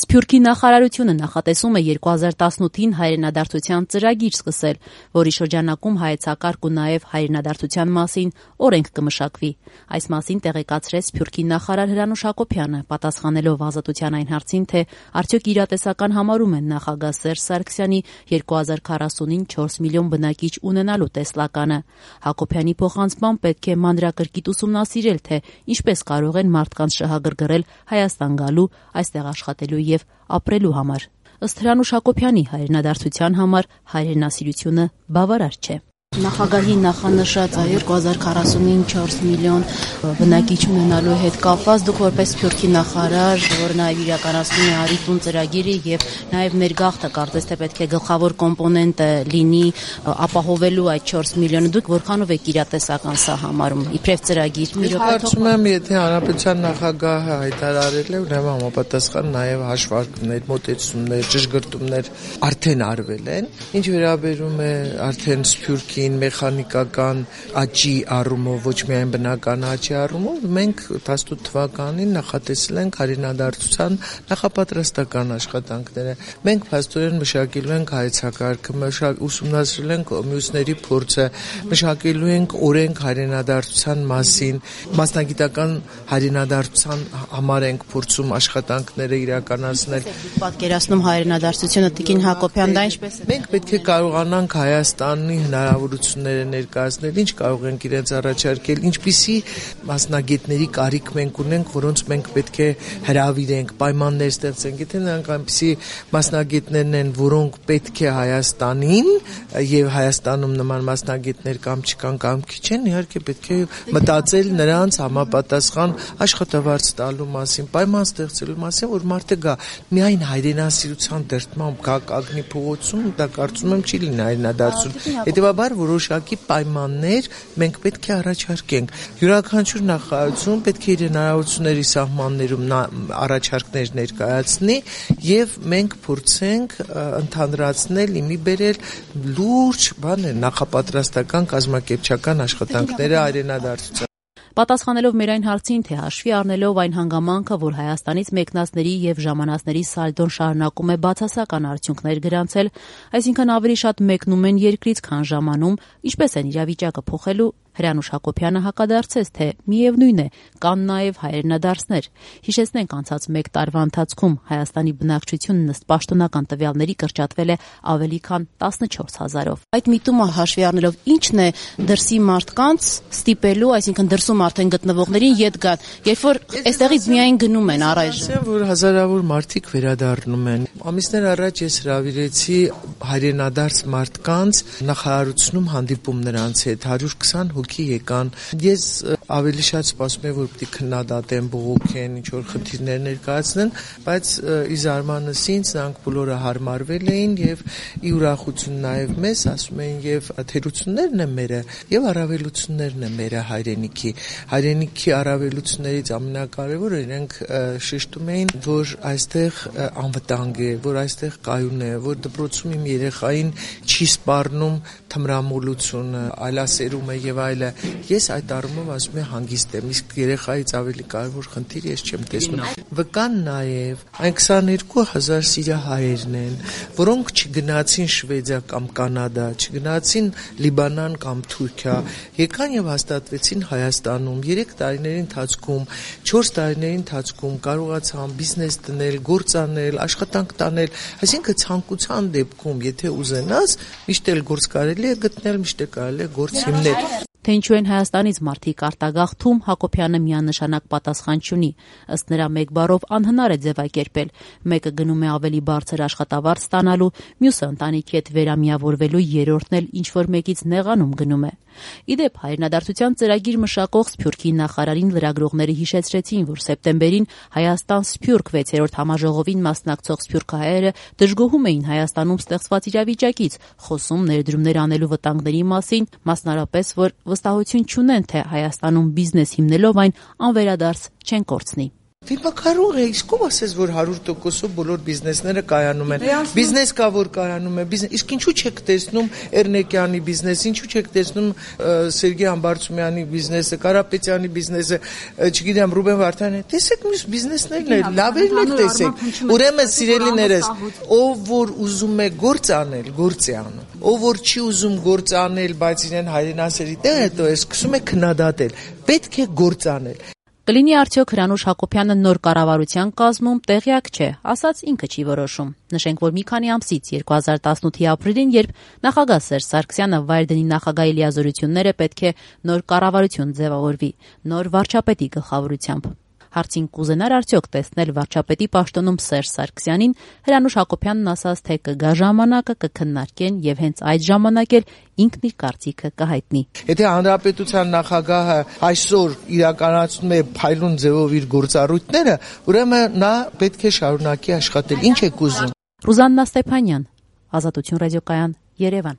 Սփյուռքի նախարարությունը նախատեսում է 2018-ին հայրենադարձության ծրագիր սկսել, որի շրջանակում հայեցակարգ ու նաև հայրենադարձության մասին օրենք կմշակվի։ Այս մասին տեղեկացրեց Սփյուռքի նախարար Հրանուշ Հակոբյանը, պատասխանելով Ազատության այն հարցին, թե արդյոք իրատեսական համարում են նախագահ Սերժ Սարգսյանի 2040-ին 4 միլիոն բնակիչ ունենալու տեսլականը։ Հակոբյանի փոխանցմամբ պետք է մանրակրկիտ ուսումնասիրել, թե ինչպես կարող են մարդկանց շահագրգռել Հայաստան գալու, այստեղ աշխատելու և ապրելու համար։ Ըստ Հրանուշ Հակոբյանի, հայրենադարձության համար հայրենասիրությունը բավարար չէ։ Նախագահի նախանշած 2040-ին 4 միլիոն բնակիչ ունենալու հետ կապված դուք որպես Սփյուռքի նախարար, որ նաև իրականացնում է «Արի տուն» ծրագիրը եւ նաև ներգաղթը կարծես թե պետք է գլխավոր կոմպոնենտը լինի ապահովելու այդ 4 միլիոնը, դուք որքանով եք իրատեսական սա համարում իբրև ծրագիր։ Կարծում եմ, եթե հանրապետության նախագահը հայտարարել է, ուրեմն համապատասխան նաև հաշվարկներ, մոտեցումներ, ճշգրտումներ արդեն արվել են։ Ինչ վերաբերում է արդեն Սփյուռքի մեխանիկական աճի առումով, ոչ միայն բնական աճի առումով, մենք 18 թվականին նախատեսել ենք հայրենադարձության նախապատրաստական աշխատանքները։ Մենք փաստորեն մշակելու ենք հայեցակարգը, ուսումնասիրել ենք մյուսների փորձը, մշակելու ենք օրենք հայրենադարձության մասին, մասնագիտական հայրենադարձության համար ենք փորձում աշխատանքները իրականացնել։ Պատկերացնում հայրենադարձությունը Տիկին Հակոբյան, դա ինչպես է։ Մենք պետք է կարողանանք Հայաստանի հնարավորությունները ներկայացնել, ինչ կարող ենք իրենց առաջարկել, ինչպիսի մասնագետների կարիք մենք ունենք, որոնց մենք պետք է հրավիրենք, պայմաններ ստեղծենք։ Եթե նրանք այնպիսի մասնագետներն են, որոնք պետք է Հայաստանին եւ Հայաստանում նման մասնագետներ կամ չկան կամ քիչ են, իհարկե պետք է մտածել նրանց համապատասխան աշխատավարձ տալու մասին, պայման ստեղծելու մասին, որ մարդը գա միայն հայրենասիրության դրդմամբ գա կանգնի փողոցում, դա կարծում եմ չի լինի հայրենադարձություն։ Հետևաբար որոշակի պայմաններ մենք պետք է առաջարկենք։ Յուրաքանչյուր նախարարություն պետք է իր հնարավորությունների սահմաններում առաջարկներ ներկայացնի եւ մենք փորձենք ընդհանրացնել, իմի բերել լուրջ նախապատրաստական կազմակերպչական աշխատանքները հայրենադարձության։ Պատասխանելով մեր այն հարցին, թե հաշվի առնելով այն հանգամանքը, որ Հայաստանից մեկնածների եւ ժամանածների սալդոն շարունակում է բացասական արդյունքներ գրանցել, այսինքն ավելի շատ մեկնում են երկրից, քան ժամանում, ինչպես են իրավիճակը փոխելու, Հրանուշ Հակոբյանը հակադարձեց, թե միևնույն է, կան նաև հայրենադարձներ։ Հիշեցնենք, անցած 1 տարվա ընթացքում Հայաստանի բնակչությունն ըստ պաշտոնական տվյալների կրճատվել է ավելի քան 14,000-ով։ Այդ միտումը հաշվի առնելով ի՞նչն է դրսի մարդկանց ստիպելու, այսինքն դրսում արդեն գտնվողներին ետ գալ, երբ որ այստեղից միայն գնում են առայժմ։ Ասեմ, որ հազարավոր մարդիկ վերադառնում են։ Ամիսներ առաջ ես հրավիրեցի հայրենադարձ մարդկանց նախարարությունում հանդիպում նրանց հետ 120 հոգի եկան։ Ես ավելի շատ սպասում եմ, որ պետք է քննադատեն, բողոքեն, ինչ որ խնդիրներ ներկայացնեն, բայց ի զարմանս ինձ նրանք բոլորը հարմարվել էին եւ ի ուրախություն նաեւ մեզ ասում էին եւ թերություններն են մերը եւ առավելություններն են մերը հայրենիքի։ Հայրենիքի առավելություններից ամենակարևորը իրենք շեշտում էին, որ այստեղ անվտանգ է, որ այստեղ կայուն է, որ դպրոցում իմ երեխային չի սպառնում թմրամոլությունը, այլասերումը եւ այլը։ Ես այդ առումով ասում եմ հանգիստ եմ, իսկ երեխայից ավելի կարևոր խնդիր ես չեմ տեսնում։ Վկան նաեւ այն 22,000 սիրիահայերն են, որոնք չգնացին Շվեդիա կամ Կանադա, չգնացին Լիբանան կամ Թուրքիա, եկան եւ հաստատվեցին Հայաստանում 3 տարիների ընթացքում, 4 տարիների ընթացքում կարողացան բիզնես դնել, գործ անել, աշխատանք տանել, այսինքն ցանկության դեպքում, եթե ուզենաս, միշտ էլ գործ կարելի է գտնել, միշտ է կարելի է գործ հիմնել։ Թե ինչու են Հայաստանից մարդիկ արտագաղթում, Հակոբյանը միանշանակ պատասխան չունի։ Ըստ նրա մեկ բառով անհնար է ձևակերպել։ Մեկը գնում է ավելի բարձր աշխատավարձ ստանալու, մյուսը ընտանիքի հետ վերամիավորվելու, երրորդն էլ ինչ-որ մեկից նեղանում գնում է։ Ի դեպ, հայրենադարձության ծրագիր մշակող Սփյուռքի նախարարին լրագրողները հիշեցրեցին, որ սեպտեմբերին Հայաստան-Սփյուռք 6-րդ համաժողովին մասնակցող սփյուռքահայերը դժգոհում էին Հայաստանում ստեղծված իրավիճակից, խոսում ներդրումներ անելու վտանգների մասին, մասնարարպես, որ վստահություն չունեն, թե Հայաստանում բիզնես հիմնելով այն անվերադարձ չեն կորցնի։ Դիմա կարող է, իսկ ով ասես, որ 100%-ով բոլոր բիզնեսները կայանում են։ Բիզնես կա, որ կայանում է, իսկ ինչու չեք տեսնում Էրնեկյանի բիզնեսը, ինչու չեք տեսնում Սերգեյ Համբարձումյանի բիզնեսը, Կարապետյանի բիզնեսը, չգիտեմ, Ռուբեն Վարդանյանի։ Տեսեք մյուս բիզնեսներն էլ, լավերն էլ տեսեք։ Ուրեմն սիրելիներս, ով որ ուզում է գործ անել, գործ է անում։ Ով որ չի ուզում գործ անել, բայց իրեն հայրենասերի տեղ հետո է սկսում է քննադատել։ Պետք է գործ անել։ Կլինի արդյոք Հրանուշ Հակոբյանը նոր կառավարության կազմում տեղյակ չէ, ասած ինքը չի որոշում։ Նշենք, որ մի քանի ամսից 2018-ի ապրիլին, երբ նախագահ Սերժ Սարգսյանը վայր դնի նախագահի լիազորությունները, պետք է նոր կառավարություն ձևավորվի, նոր վարչապետի գլխավորությամբ։ Հարցին կուզենար արդյոք տեսնել վարչապետի պաշտոնում Սերժ Սարգսյանին, Հրանուշ Հակոբյանն ասաց, թե կգա ժամանակը, կքննարկեն եւ հենց այդ ժամանակ էլ ինքն իր կարծիքը կհայտնի։ Եթե հանրապետության նախագահը այսօր իրականացնում է փայլուն ձևով իր գործառույթները, ուրեմն նա պետք է շարունակի աշխատել։ Ինչ եք ուզում։ Ռուզաննա Ստեփանյան, Ազատություն ռադիոկայան, Երևան։